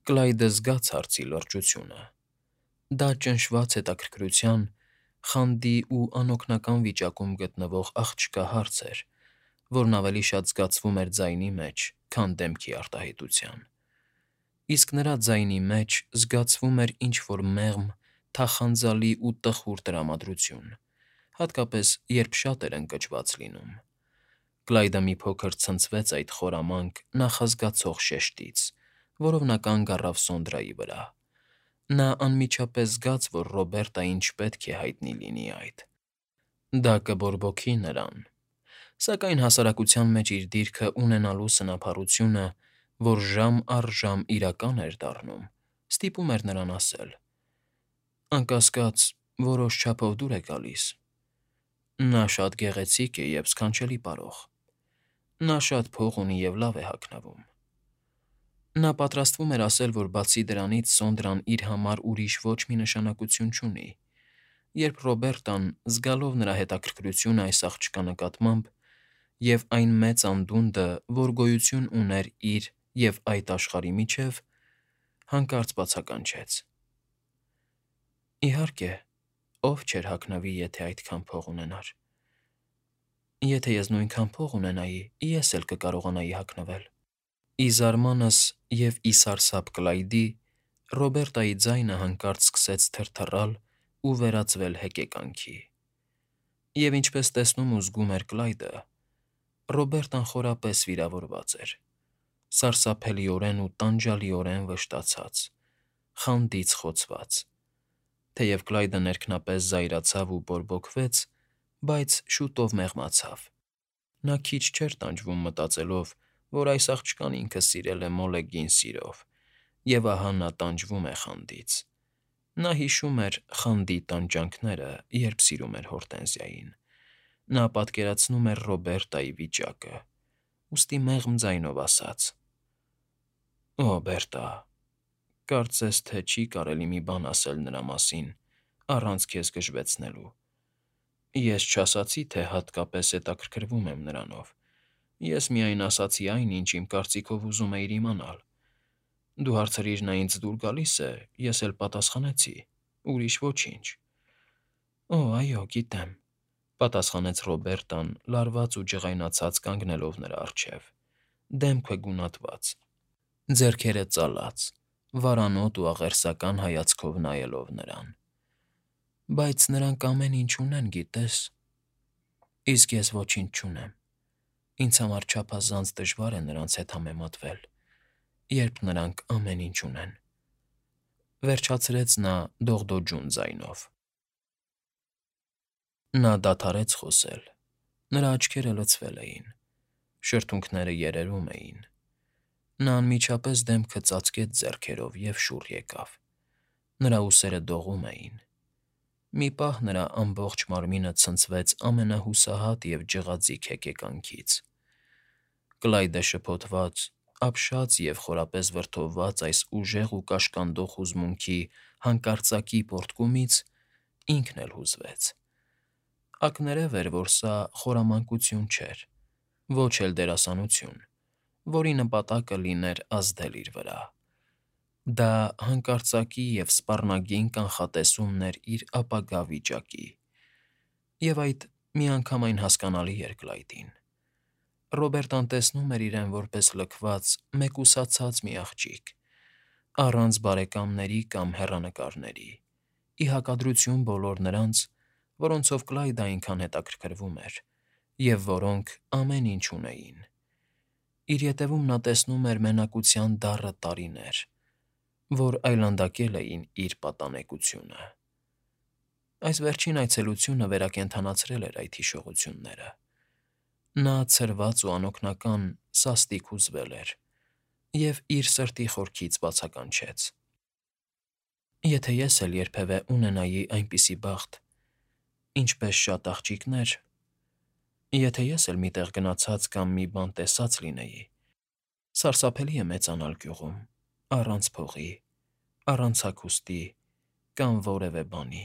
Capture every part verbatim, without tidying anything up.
Կլայդը զգաց հարցի լրջությունը։ Դա ճնշված հետաքրքրության, խանդի ու անօգնական վիճակում գտնվող աղջկա հարց էր, որն ավելի շատ զգացվում էր ձայնի մեջ, քան դեմքի արտահայտության։ Իսկ նրա ձայնի մեջ զգացվում էր ինչ֊որ մեղմ, թախանձալի ու տխուր տրամադրություն, հատկապես երբ շատ էր ընկճված լինում։ Կլայդը մի փոքր ցնցվեց այդ խորամանկ, նախազգացող շեշտից, որով նա կանգ առավ Սոնդրայի վրա։ Նա անմիջապես զգաց, որ Ռոբերտային չպետք է հայտնի լինի այդ։ Դա կբորբոքի նրան։ Սակայն հասարակության մեջ իր դիրքը ունենալու սնափառությունը, որ ժամ առ ժամ իրական էր դառնում, ստիպում էր նրան ասել. «Անկասկած, որոշ չափով դուր է գալիս։ Նա շատ գեղեցիկ է և սքանչելի պարող։ Նա շատ փող ունի և լավ է հագնվում»։ Նա պատրաստվում էր ասել, որ բացի դրանից Սոնդրան իր համար ուրիշ ոչ մի նշանակություն չունի, երբ Ռոբերտան, զգալով նրա հետաքրքրությունը այս աղջկա նկատմամբ և այն մեծ անդունդը, որ գոյություն ուներ իր և այդ աշխարհի միջև, հանկարծ բացականչեց. «Իհարկե, ով չէր հագնվի, եթե այդքան փող ունենար։ Եթե ես նույնքան փող ունենայի, ես էլ կկարողանայի հագնվել»։ Ի զարմանս և ի սարսափ Կլայդի, Ռոբերտայի ձայնը հանկարծ սկսեց թրթռալ ու վերածվել հեկեկանքի։ Եվ ինչպես տեսնում ու զգում էր Կլայդը, Ռոբերտան խորապես վիրավորված էր, սարսափելիորեն ու տանջալիորեն վշտացած, խանդից խոցված։ Թեև Կլայդը ներքնապես զայրացավ ու բորբոքվեց, բայց շուտով մեղմացավ։ Նա քիչ չէր տանջվում մտածելով, որ այս աղջկան ինքը սիրել է մոլեգին սիրով, և ահա նա տանջվում է խանդից։ Նա հիշում էր խանդի տանջանքները, երբ սիրում էր Հորտենզիային։ Նա պատկերացնում էր Ռոբերտայի վիճակը, ուստի մեղմ ձայնով ասաց. «Օ, Բերտա, կարծես թե չի կարելի մի բան ասել նրա մասին առանց քեզ գժվեցնելու։ Ես չասացի, թե հատկապես հետաքրքրվում եմ նրանով, ես միայն ասացի այն, ինչ իմ կարծիքով ուզում էիր իմանալ։ Դու հարցրիր նա ինձ դուր գալի՞ս է, ես էլ պատասխանեցի, ուրիշ ոչինչ»։ «Օ, այո, գիտեմ», ֊ պատասխանեց Ռոբերտան, լարված ու ջղայնացած կանգնելով նրա առջև, դեմքը գունատված, ձեռքերը ծալած, վարանոտ ու աղերսական հայացքով նայելով նրան։ «Բայց նրանք ամեն ինչ ունեն, գիտես։ Իսկ ես ոչինչ չունեմ։ Ինձ համար չափազանց դժվար է նրանց հետ համեմատվել, երբ նրանք ամեն ինչ ունեն», ֊ վերջացրեց նա դողդոջուն ձայնով։ Նա դադարեց խոսել։ Նրա աչքերը լցվել էին, շրթունքները երերում էին։ Նա անմիջապես դեմքը ծածկեց ձեռքերով և շուռ եկավ։ Նրա ուսերը դողում էին։ Մի պահ նրա ամբողջ մարմինը ցնցվեց ամենահուսահատ և ջղաձիգ հեկեկանքից։ Կլայդը շփոթված, ապշած և խորապես վրդովված այս ուժեղ ու կաշկանդող հուզմունքի հանկարծակի պոռթկումից ինքն էլ հուզվեց։ Ակներև էր, որ սա խորամանկություն չէր, ոչ էլ դերասանություն, որի նպատակը լիներ ազդել իր վրա։ Դա հանկարծակի և սպառնագին կանխատեսումն էր իր ապագա վիճակի։ Եվ այդ միանգամայն հասկանալի էր Կլայդին։ Ռոբերտան տեսնում էր իրեն որպես լքված, մեկուսացած մի աղջիկ, առանց բարեկամների կամ հեռանկարների, ի հակադրություն բոլոր նրանց, որոնցով Կլայդը այնքան հետաքրքրվում էր, և որոնք ամեն ինչ ունեին։ Իր ետևում նա տեսնում էր մենակության դառը տարիներ, որ այլանդակել էին իր պատանեկությունը։ Այս վերջին այցելությունը վերակենդանացրել էր այդ հիշողությունները։ Նա ցրված ու անօգնական սաստիկ հուզվել էր և իր սրտի խորքից բացականչեց. «Եթե ես էլ երբևէ ունենայի այնպիսի բախտ, ինչպես շատ աղջիկներ, եթե ես էլ մի տեղ գնացած կամ մի բան տեսած լինեի… Սարսափելի է մեծանալ գյուղում, առանց փողի, առանց հագուստի կամ որևէ բանի,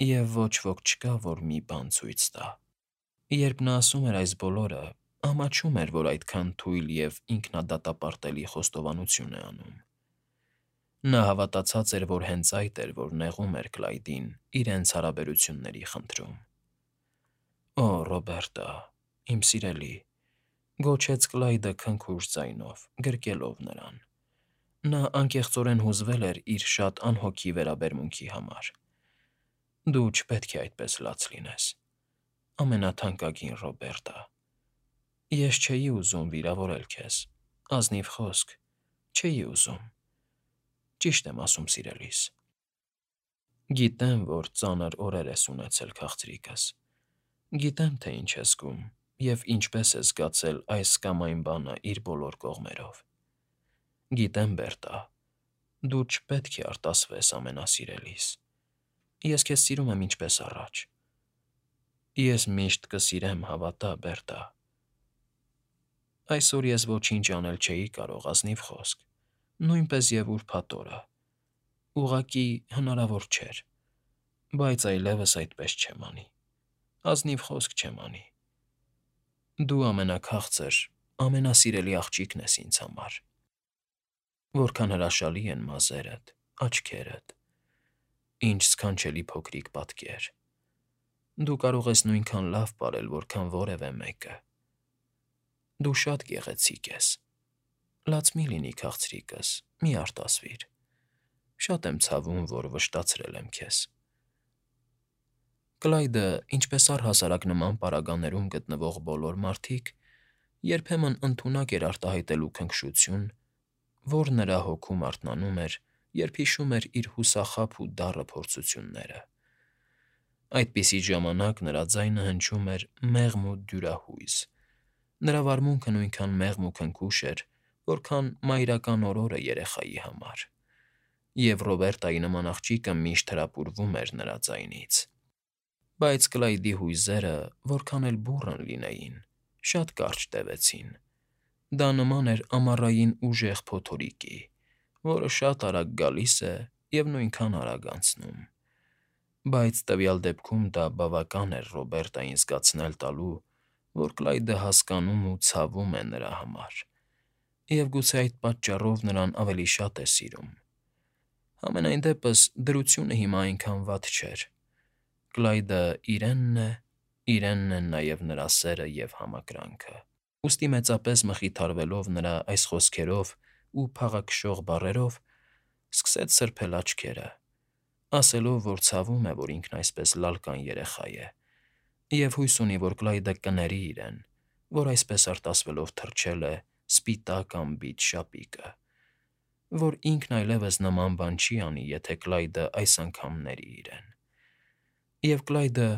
և ոչ ոք չկա, որ մի բան ցույց տա»։ Երբ նա ասում էր այս բոլորը, ամաչում էր, որ այդքան թույլ և ինքնադատապարտելի խոստովանություն է անում։ Նա հավատացած էր, որ հենց այդ էր, որ նեղում էր Կլայդին իրենց հարաբերությունների խնդրում։ «Օ, Ռոբերտա, իմ սիրելի», գոչեց Կլայդը քնքուշ ձայնով, գրկելով նրան։ Նա անկեղծորեն հուզվել էր իր շատ անհոգի վերաբերմունքի համար։ «Դու չպետք է այդպես լաց լինես, ամենաթանկագին Ռոբերտա։ Ես չէի ուզում վիրավորել քեզ, ազնիվ խոսք, չէի ուզում։ Ճիշտ եմ ասում, սիրելիս։ Գիտեմ, որ ծանր օրեր ես ունեցել, քաղցրիկս։ Գիտեմ, թե ինչ ես զգում և ինչպես ես զգացել այս կամ այն բանը իր բոլոր կողմերով։ Գիտեմ, Բերտա, դու չպետք է արտասվես ամենասիրելիս։ Ես քեզ սիրում եմ ինչպես առաջ։ Ես միշտ կսիրեմ, հավատա, Բերտա։ Այսօր ես ոչինչ անել չէի կարող, ազնիվ խոսք, նույնպես և ուրբաթ օրը։ Ուղղակի հնարավոր չէր, բայց այլևս այդպես չեմ անի, ազնիվ խոսք չեմ անի։ Դու ամենաքաղցր, ամենասիրելի աղջիկն ես ինձ համար։ Որքան հրաշալի են մազերդ, աչքերդ, ինչ սքանչելի փոքրիկ պատկեր։ Դու կարող ես նույնքան լավ պարել, որքան որևէ մեկը։ Դու շատ գեղեցիկ ես։ Լաց մի՛ լինի, քաղցրիկս, մի՛ արտասվիր։ Շատ եմ ցավում, որ վշտացրել եմ քեզ։ Կլայդը, ինչպես առհասարակ նման պարագաներում գտնվող բոլոր մարդիկ, երբեմն ընդունակ էր արտահայտելու քնքշություն, որ նրա հոգում արթնանում էր, երբ հիշում էր իր հուսախաբ ու դառը փորձությունները։ Այդպիսի ժամանակ նրա ձայնը հնչում էր մեղմ ու դյուրահույզ, նրա վարմունքը նույնքան մեղմ ու քնքուշ էր, որքան մայրական օրորը երեխայի համար, և Ռոբերտայի նման աղջիկը միշտ հրապուրվում էր նրա ձայնից։ Բայց Կլայդի հույզերը, որքան էլ բուռն լինեին, շատ կարճ տևեցին։ Դա նման էր ամառային ուժեղ փոթորիկի, որը շատ արագ գալիս է և նույնքան արագ անցնում։ Բայց տվյալ դեպքում դա բավական էր Ռոբերտային զգացնել տալու, որ Կլայդը հասկանում ու ցավում է նրա համար, և գուցե այդ պատճառով նրան ավելի շատ է սիրում։ Համենայն դեպս դրությունը հիմա այնքան վատ չէր։ Կլայդը իրենն է, իրենն են նաև նրա սերը և համակրանքը։ Ուստի մեծապես մխիթարվելով նրա այս խոսքերով ու փաղաքշող բառերով, սկսեց սրբել աչքերը, ասելով, որ ցավում է, որ ինքն այսպես լալկան երեխա է, և հույս ունի, որ Կլայդը կների իրեն, որ այսպես արտասվելով թրջել է սպիտակ անբիծ շապիկը, որ ինքն այլևս նման բան չի անի, եթե Կլայդը այս անգամ ների իրեն։ Եվ Կլայդը,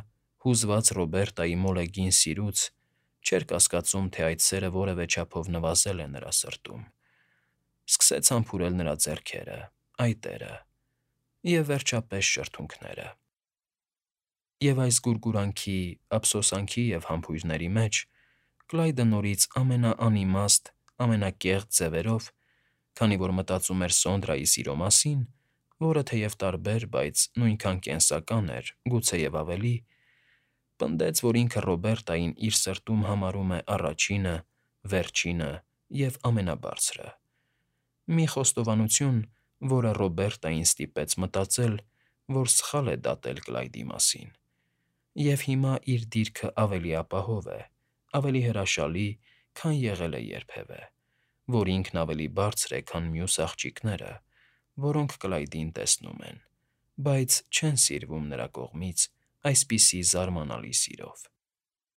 հուզված Ռոբերտայի մոլեգին սիրուց, չէր կասկածում, թե այդ սերը որևէ չափով նվազել է նրա սրտում, սկսեց համբուրել նրա ձեռքերը, այտերը և, վերջապես, շրթունքները։ Եվ այս գուրգուրանքի, ափսոսանքի և համբույրների մեջ Կլայդը նորից ամենաանիմաստ, ամենակեղծ ձևերով, քանի որ մտածում էր Սոնդրայի սիրո մասին, որը թեև տարբեր, բայց նույնքան կենսական էր, գուցեև ավելի, պնդեց, որ ինքը Ռոբերտային իր սրտում համարում է առաջինը, վերջինը և ամենաբարձրը։ Մի խոստովանություն, որը Ռոբերտային ստիպեց մտածել, որ սխալ է դատել Կլայդի մասին, և հիմա իր դիրքը ավելի ապահով է, ավելի հրաշալի, քան եղել է երբևէ, որ ինքն ավելի բարձր է, քան մյուս աղջիկները, որոնք Կլայդին տեսնում են, բայց չեն սիրվում նրա կողմից այսպիսի զարմանալի սիրով։